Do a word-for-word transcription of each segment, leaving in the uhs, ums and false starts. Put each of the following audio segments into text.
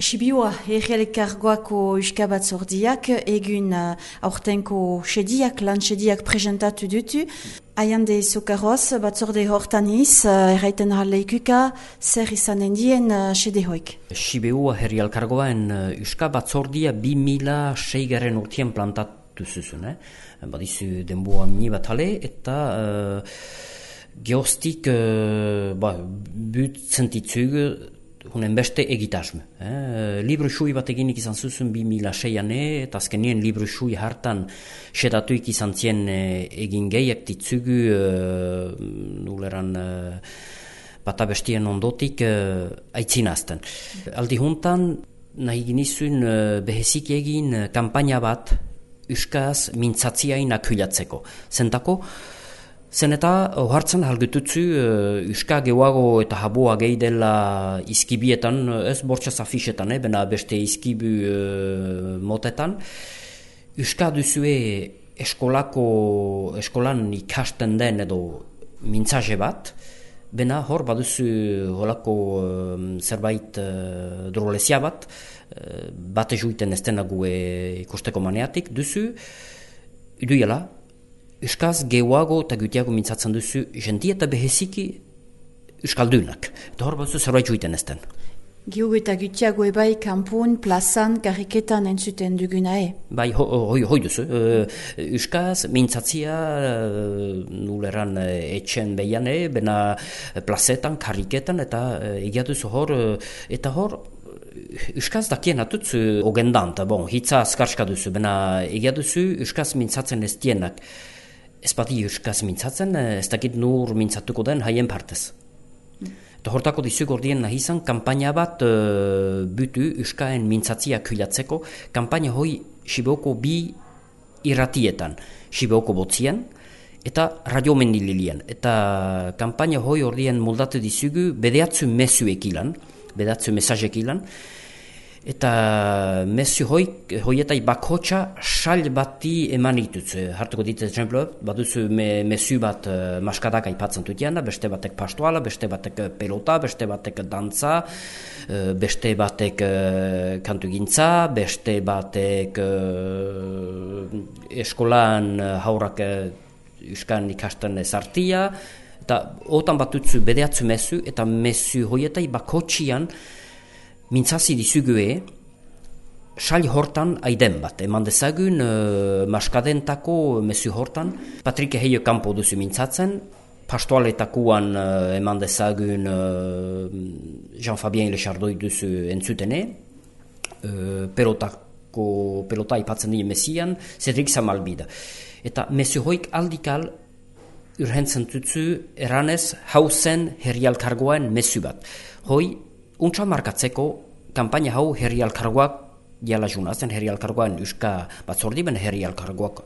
Sibiua, errealkargoako Euska Batzordiak egun uh, aurtenko sediak, lan sediak presentatu dutu. Aiande Sokaroz, batzorde hortaniz, uh, erraiten harleikuka, zer izanen dien uh, sede hoik. Sibiua herrialkargoan uh, Euska Batzordia bi mila seigaren urtien plantatu zuzun. Eh? Badizu denboa mini bat hale eta uh, geostik uh, ba, but zentitzug hunen beste egitasme. Eh? Libru xui bat eginik izan zuzun bi mila seiane, eta azkenien libru xui hartan sedatuik izan zien eh, egin gehiak ditzugu eh, nuleran eh, bata bestien ondotik eh, aitzinazten. Aldi juntan nahi ginizun eh, behezik egin eh, kampaina bat Euskaz mintzatziain akulatzeko. Zentako, zen eta ohartzen halgututzu uh, Euska gehuago eta habua gehi dela izkibietan, ez bortxaz afixetan, eh, bena beste izkibu uh, motetan. Euska duzue eskolako, eskolan ikasten den edo mintzaje bat, bena hor baduzu holako uh, zerbait uh, drolezia bat, uh, bate juiten ez denagu ikusteko maneatik, duzu, iduela, Euskaz gehuago eta gutiago mintzatzen duzu jendia eta beheziki Euskaldunak. Eta hor batzu zerbait juiten ez den. Gehuago eta gutiago ebai kanpun, plazan, kariketan entzuten duguna e? Bai, hoi ho, ho, ho duzu. Uh, Euskaz mintzatzia uh, nuleran uh, etxen behian e, bena plazetan, kariketan eta uh, egia duzu hor, uh, eta hor Euskaz dakien atutzu ogendan, eta bon, hitza azkarska duzu, bena egia duzu Euskaz mintzatzen ez dienak. Ez bati Euskaz mintzatzen, ez dakit nur mintzatuko den haien partez. Mm. Eta hortako dizuk ordien nahi izan, kampaina bat uh, butu Euskaen mintzatzia kulatzeko, kampaina hoi Sibeoko bi irratietan, Sibeoko botzian, eta radio mendililian. Eta kampaina hoi ordien moldatu dizugu bedeatzu mesuek ilan, bedeatzu mesazek ilan, eta mesu hoik, hoietai bakotxa sal bati eman dituz. Hartuko dit, exemplo, baduzu me, mesu bat uh, maskadak aipatzen dutiana, beste batek pastoala, beste batek pelota, beste batek dantza, uh, beste batek uh, kantugintza, beste batek uh, eskolan uh, haurak uh, Euskan ikasten ezartia, eta otan batutzu bedeatzu mesu, eta mesu hoietai bakotxian mintzazi dizugue, sal hortan aiden bat. Eman dezagun, uh, maskadentako mesu hortan, Patrik Eheio kanpo duzu mintzatzen, pastoaletakuan uh, eman dezagun uh, Jean-Fabien Lechardoi duzu entzutene, uh, pelotako, pelota ipatzen dien mesian, Cedric Samalbida. Eta mesu hoik aldikal urhentzen tutzu eranez hauzen herrialkargoen mesu bat. Hoi, untsa markatzeko, kampaina hau herrialkargoak diala junazen, herrialkargoan Euska Batzordi, ben herrialkargoak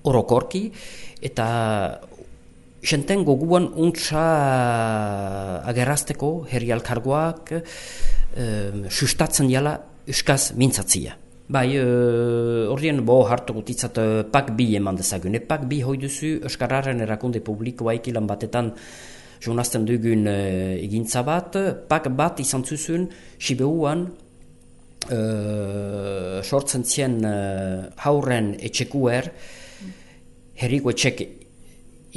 orokorki, eta jenten goguan untsa agerrazteko herrialkargoak um, sustatzen diala Euskaz mintzatzia. Bai, uh, ordien bo hartu gutitzat uh, pak bi eman dezagune. Pak bi hoi duzu Euskararen erakunde publikoa ikilan batetan jonazten dugun uh, egintza bat, pak bat izan zuzun, Sibeuan uh, sortzen zien uh, hauren etxekuer, herriko etxek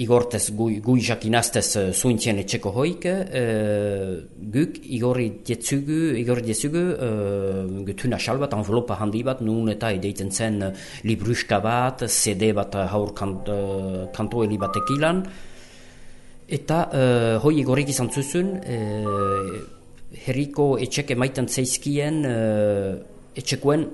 igortez, gui, gui jakinaztez uh, zuintzien etxeko hoik, uh, guk igorri dietzugu, igorri dietzugu, uh, gutuna xal bat, envelopa handi bat, nun eta edeiten zen uh, libruska bat, C D bat uh, haur kant, uh, kantoeli batek ilan, eta uh, hoi egorik izan zuzun, uh, herriko etxek emaiten zeizkien uh, etxekoen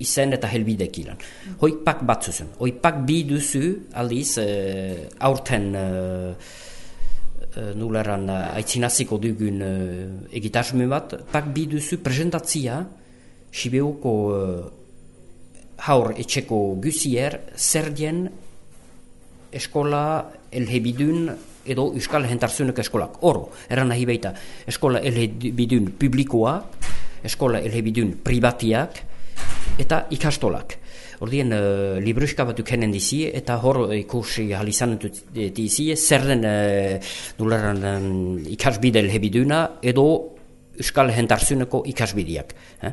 izen eta helbidek ilan. Hoi pak bat zuzun. Hoi pak bi duzu aldiz uh, aurten uh, uh, nuleran uh, aitzinaziko dugun uh, egitasme bat, pak bi duzu presentatzia Sibeuko uh, haur etxeko guzier zer dien eskola elhebidun edo Euskal Hentarzunek eskolak. Oro, eran nahi baita, eskola elhebidun publikoa, eskola elhebidun privatiak, eta ikastolak. Ordien, uh, libruska bat ukenen dizi, eta hor ikusi halizan dizi, zer den uh, nuleran um, ikasbide elhebiduna, edo Euskal Jentarzuneko ikasbideak. Eh?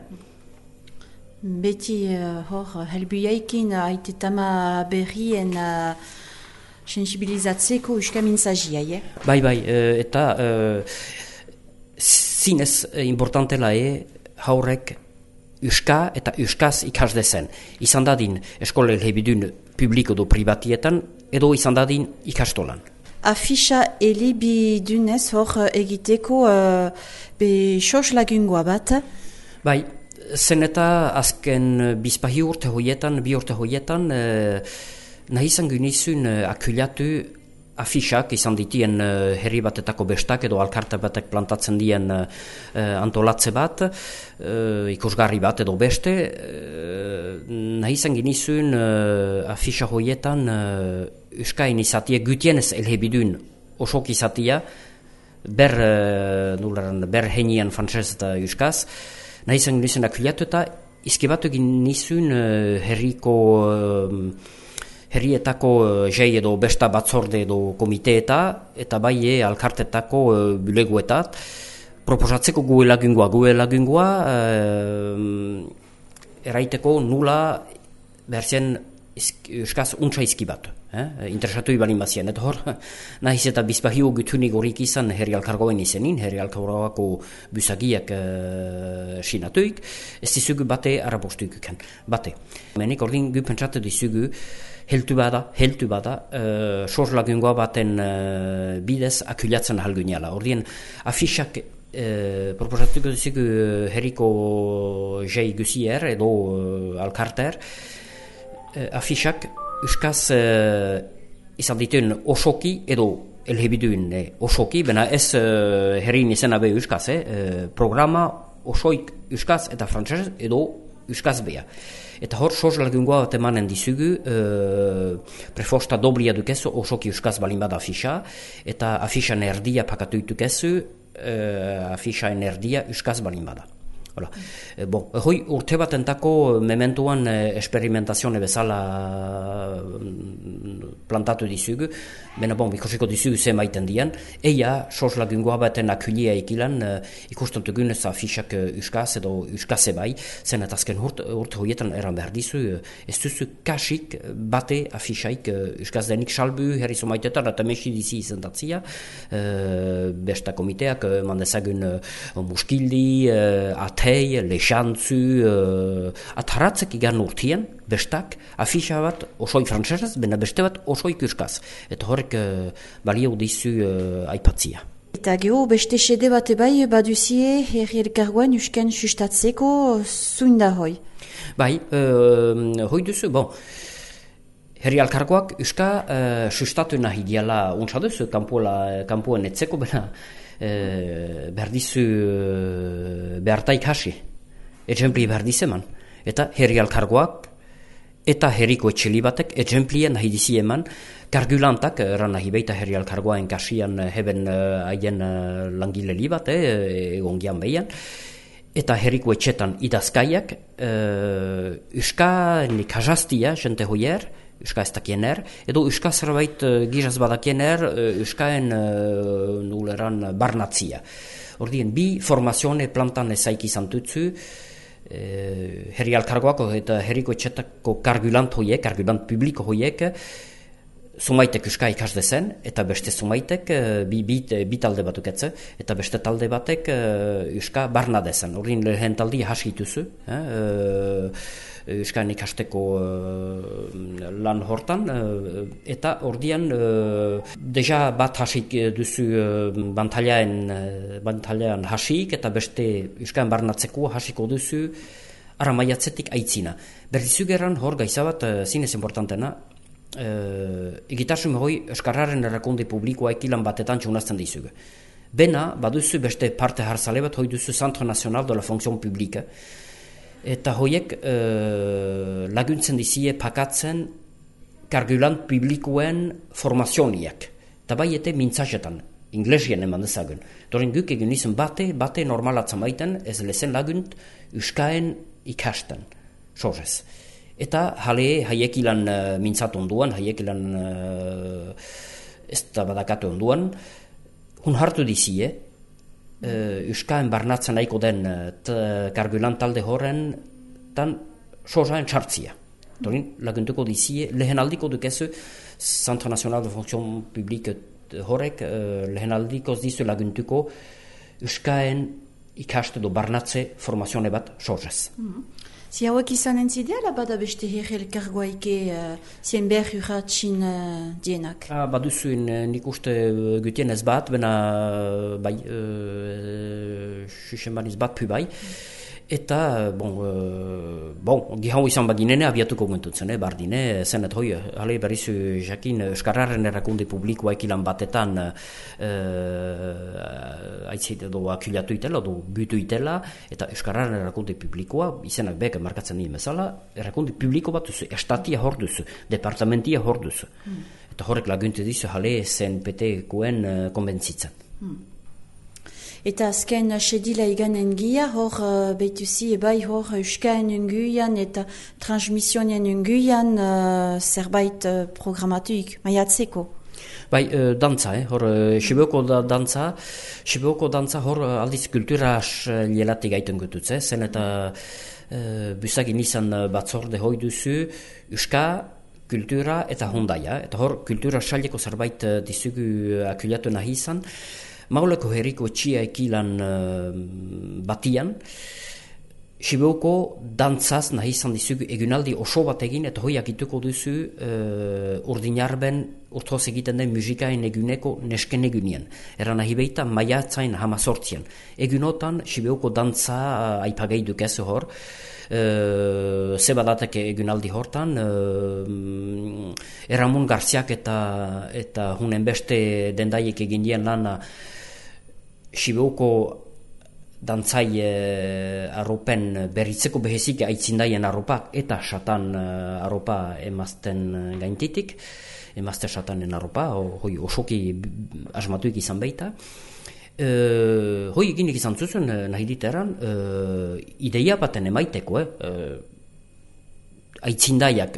Beti uh, hor, helbuiaikin aitetama berrien uh, sensibilizatzeko euskamintzagia, eh? Bai, bai, uh, eta uh, zinez importantela e haurek euska eta euskaz ikas dezen. Izan dadin eskola elebidun publiko do privatietan, edo izan dadin ikastolan. Afisha elebidunez hor egiteko uh, be sos lagungoa bat? Bai, zen eta azken bizpahi urte hoietan, bi urte hoietan, eh, nahi izan gynizun eh, akulatu afixak izan ditien uh, herri batetako bestak edo alkarte batek plantatzen dien uh, antolatze bat, uh, ikusgarri bat edo beste, uh, nahi izan ginizun uh, afixa hoietan uh, euskain izatia gutienez elhebidun osok izatia, ber, uh, nularan, ber henian frantzez eta euskaz, nahi izan ginizun akuliatu eta izkibatu ginizun uh, herriko uh, herrietako uh, jei edo besta batzorde edo komiteeta, eta bai e, alkartetako uh, buleguetat, proposatzeko gue lagungoa, gue lagungoa, uh, eraiteko nula berzien euskaz untsa izkibatu. Eh? Interesatu ibalin bazien, eta hor, nahiz eta bizpahio gutunik horik izan herri alkargoen izenin, herri alkargoako busagiak uh, sinatuik, ez dizugu bate arabostuik uken, bate. Menik ordin gu pentsatu dizugu, heltu bada, heltu bada, uh, sor lagungoa baten uh, bidez akulatzen halguneala. Ordien, afixak uh, proposatuko dizugu uh, herriko jei gusier edo uh, alkarter, uh, afixak euskaz uh, izan dituen osoki edo elhebiduen eh, osoki, bena ez uh, herrin izena be euskaz, eh, uh, programa osoik euskaz eta frantzez edo euskaz bea. Eta hor, sos lagungoa bat emanen dizugu, uh, prefosta doblia dukezu osoki euskaz balin bada afixa, eta afixan erdia pakatu dukezu, uh, afixan erdia euskaz balin bada. Hola. E, bon, hoi urte bat entako mementuan eh, esperimentazione bezala plantatu dizugu, bena bon, ikusiko dizugu ze maiten dian, eia sos lagungoa baten akulia ekilan eh, ikusten dugunez afixak eh, euskaz edo euskaze bai, zen eta azken urte, urte hoietan eran behar dizu, eh, ez duzu kasik bate afixaik eh, euskaz denik salbu herrizo maitetan, eta mesi dizi izendatzia, eh, besta komiteak, eh, mandezagun eh, muskildi, eh, atei, lexantzu, uh, ataratzek igan urtien, bestak, afixa bat osoi frantzesez, bena beste bat osoi euskaz. Eta horrek uh, balio dizu uh, aipatzia. Eta geho, beste sede bat bai, baduzie herri elkargoen eusken sustatzeko zuinda hoi? Bai, uh, hoi duzu, bon, herri alkargoak euska uh, sustatu nahi diala untsa duzu, kampuan etzeko, bena Uh, behar dizu uh, behartaik hasi, ejempli behar dizeman. Eta herri alkargoak eta herriko etxeli batek ejemplien nahi dizi eman, kargulantak, eran nahi beita herri alkargoaen kasian heben uh, haien uh, langileli bat, eh, egon gian behian, eta herriko etxetan idazkaiak, uh, euska nik hajaztia, jente hoier, euska ez dakiener, edo euska zerbait uh, giraz badakiener, uh, euskaen uh, nuleran barnatzia. Ordien, bi formazione plantan ezaik izan tutzu, uh, herri alkargoako eta herriko etxetako kargulant hoiek, kargulant publiko hoiek, zumaitek euska ikas dezen, eta beste zumaitek, uh, bi, bi, bi talde batuk etze, eta beste talde batek uh, euska barna dezen. Ordien, lehen taldi hasi ituzu, eh, uh, euskain ikasteko uh, lan hortan, uh, eta ordian uh, deja bat hasik duzu uh, bantailaen, uh, bantailaen hasik, eta beste euskain barnatzeko hasiko duzu aramaiatzetik aitzina. Berdizu geran hor gaizabat uh, zinez importantena, uh, egitarsun hoi euskarraren erakunde publikoa ekilan batetan txunazten dizugu. Bena, baduzu beste parte harzale bat hoi duzu Centre National de la Fonction Publique, eta hoiek uh, laguntzen dizie pakatzen kargulant publikoen formazioniak. Eta bai ete mintzasetan, inglesien eman dezagun. Doren guk egin izan bate, bate normalatzen baiten, ez lezen lagunt euskaen ikasten, sorrez. Eta jale haiek ilan uh, mintzatu onduan, haiek ilan uh, ez da badakatu onduan, hun hartu dizie, uh, Euskaen barnatzen nahiko den kargulan talde horren tan sozaen txartzia. Torin, laguntuko dizie, lehen aldiko dukezu, Centre National de Fonction Publique horrek, uh, lehen aldikoz dizu laguntuko Euskaen ikaste do barnatze formazione bat sorrez. Mm-hmm. Si hauek izan entzidea, bada beste herri elkargoaike uh, zien behar urratxin uh, dienak? Ah, baduzuen nik uste gutien ez bat, bena bai, uh, xuxen baniz bat pu bai. Eta, bon, uh, bon, gihau izan baginene abiatuko guntutzen, eh, bardine, zenet hoi, hale berrizu jakin, Euskararen erakunde publikoa ekilan batetan uh, aitzit edo akiliatu itela, edo butu itela, eta Euskararen erakunde publikoa, izenak beka markatzen nien bezala, erakunde publiko bat duzu, estatia hor duzu, departamentia hor duzu. Mm. Eta horrek laguntu dizu, hale zen petekoen uh, konbentzitzen. Mm. Eta azken sedila iganen gia, hor uh, beituzi ebai hor Euskaen unguian eta transmisionen unguian uh, zerbait uh, programatuik, maiatzeko. Bai, uh, dantza, eh? hor uh, Siboko da dantza, Siboko dantza hor uh, aldiz kulturas uh, lielati gaiten gututze, zen eta uh, busagin izan batzorde hoi duzu, Euska, kultura eta hondaia, eta hor kultura saileko zerbait uh, dizugu akuliatu nahi izan, Mauleko herriko txia ekilan uh, batian, Sibeuko dantzaz nahi izan dizugu egunaldi oso bat egin, eta hoi agituko duzu uh, urdinarben urtoz egiten den musikaen eguneko nesken egunien. Era nahi behita maiatzain hamazortzien. Egunotan Sibeuko dantza uh, aipagei dukezu hor, Uh, zebadatek egunaldi hortan uh, Eramun Garziak eta eta hunen beste dendaiek egin dien lana Sibeuko dantzai uh, arropen berritzeko behezik aitzindaien arropak eta satan uh, arropa emazten gaintitik, emazte satanen arropa, hoi osoki asmatuik izan baita. Uh, hoi eginik izan zuzun uh, nahi diteran uh, ideia baten emaiteko eh? uh, aitzindaiak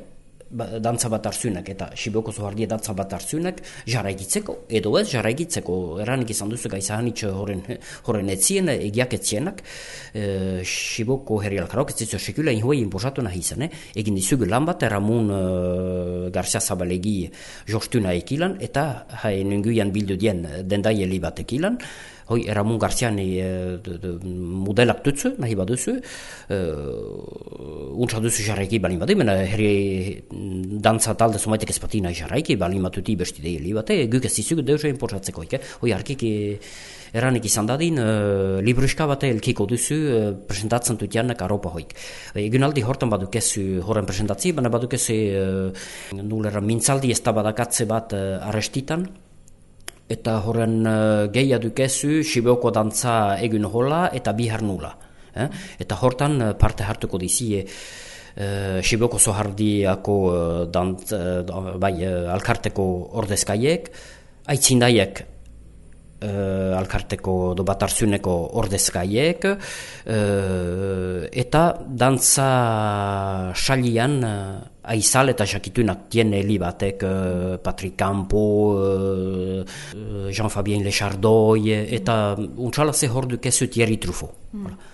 ba, dantza bat hartzunak eta Siboko zohardia dantza bat hartzunak jarraigitzeko edo ez jarraigitzeko eranik izan duzu gaizahanitxo horren, horren etzien egiak etzienak uh, Siboko herri alkarok ez zizu sekula inhoi inposatu nahi izan eh? Egin dizugu lan bat Eramun uh, Garzia Zabalegi jostuna ekilan eta hain unguian bildu dien dendaili bat ekilan. Hoi, Eramun Garzian e, modelak dutzu, nahi baduzu, e, untsa duzu jarraiki balin badu, mena herri dantza talde zumaitek ez pati nahi jarraiki, balin batuti besti deili bate, guk ez dizugu deuze inportatzeko, ike? Hoi, harkik eranik izan dadin, e, libruska bate elkiko duzu, e, presentatzen dutianak aropa hoik. Egunaldi hortan badukezu horren presentatzi, baina badukezu e, nulera mintzaldi ez da badakatze bat e, arrestitan, eta horren uh, gehia dukezu Siboko dantza egun hola eta bihar nula. Eh? Eta hortan uh, parte hartuko dizie uh, Siboko zohardiako uh, dant, uh, bai, uh, alkarteko ordezkaiek, aitzindaiek uh, alkarteko do batarzuneko ordezkaiek, uh, eta dantza salian uh, aizal eta jakitunak tiene li batek uh, Patrick Campo, uh, Jean-Fabien Lechardoy, eta untsala ze hor dukezu Thierry Truffaut. Mm. Voilà.